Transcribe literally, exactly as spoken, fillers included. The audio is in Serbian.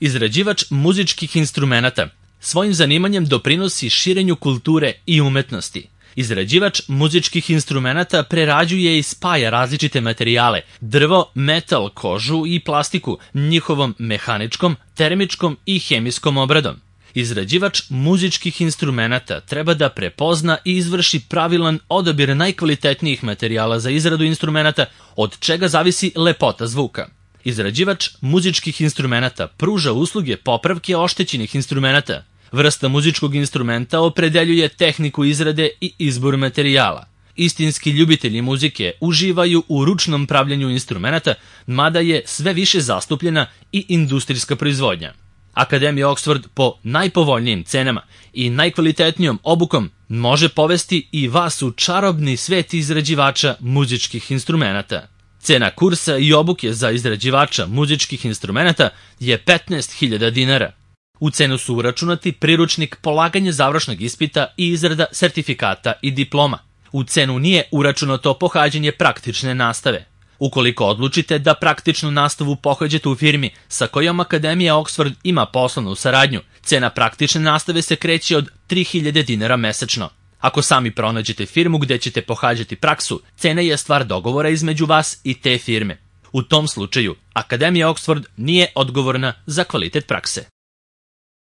Izrađivač muzičkih instrumenata svojim zanimanjem doprinosi širenju kulture i umetnosti. Izrađivač muzičkih instrumenata prerađuje i spaja različite materijale, drvo, metal, kožu i plastiku, njihovom mehaničkom, termičkom i hemijskom obradom. Izrađivač muzičkih instrumenata treba da prepozna i izvrši pravilan odabir najkvalitetnijih materijala za izradu instrumenata, od čega zavisi lepota zvuka. Izrađivač muzičkih instrumenata pruža usluge popravke oštećenih instrumenata. Vrsta muzičkog instrumenta opredeljuje tehniku izrade i izbor materijala. Istinski ljubitelji muzike uživaju u ručnom pravljenju instrumenata, mada je sve više zastupljena i industrijska proizvodnja. Akademija Oxford po najpovoljnijim cenama i najkvalitetnijom obukom može povesti i vas u čarobni svet izrađivača muzičkih instrumenata. Cena kursa i obuke za izrađivača muzičkih instrumenata je petnaest hiljada dinara. U cenu su uračunati priručnik polaganja završnog ispita i izrada sertifikata i diploma. U cenu nije uračunato pohađanje praktične nastave. Ukoliko odlučite da praktičnu nastavu pohađate u firmi sa kojom Akademija Oxford ima poslovnu saradnju, cena praktične nastave se kreće od tri hiljade dinara mesečno. Ako sami pronađete firmu gde ćete pohađati praksu, cena je stvar dogovora između vas i te firme. U tom slučaju, Akademija Oxford nije odgovorna za kvalitet prakse.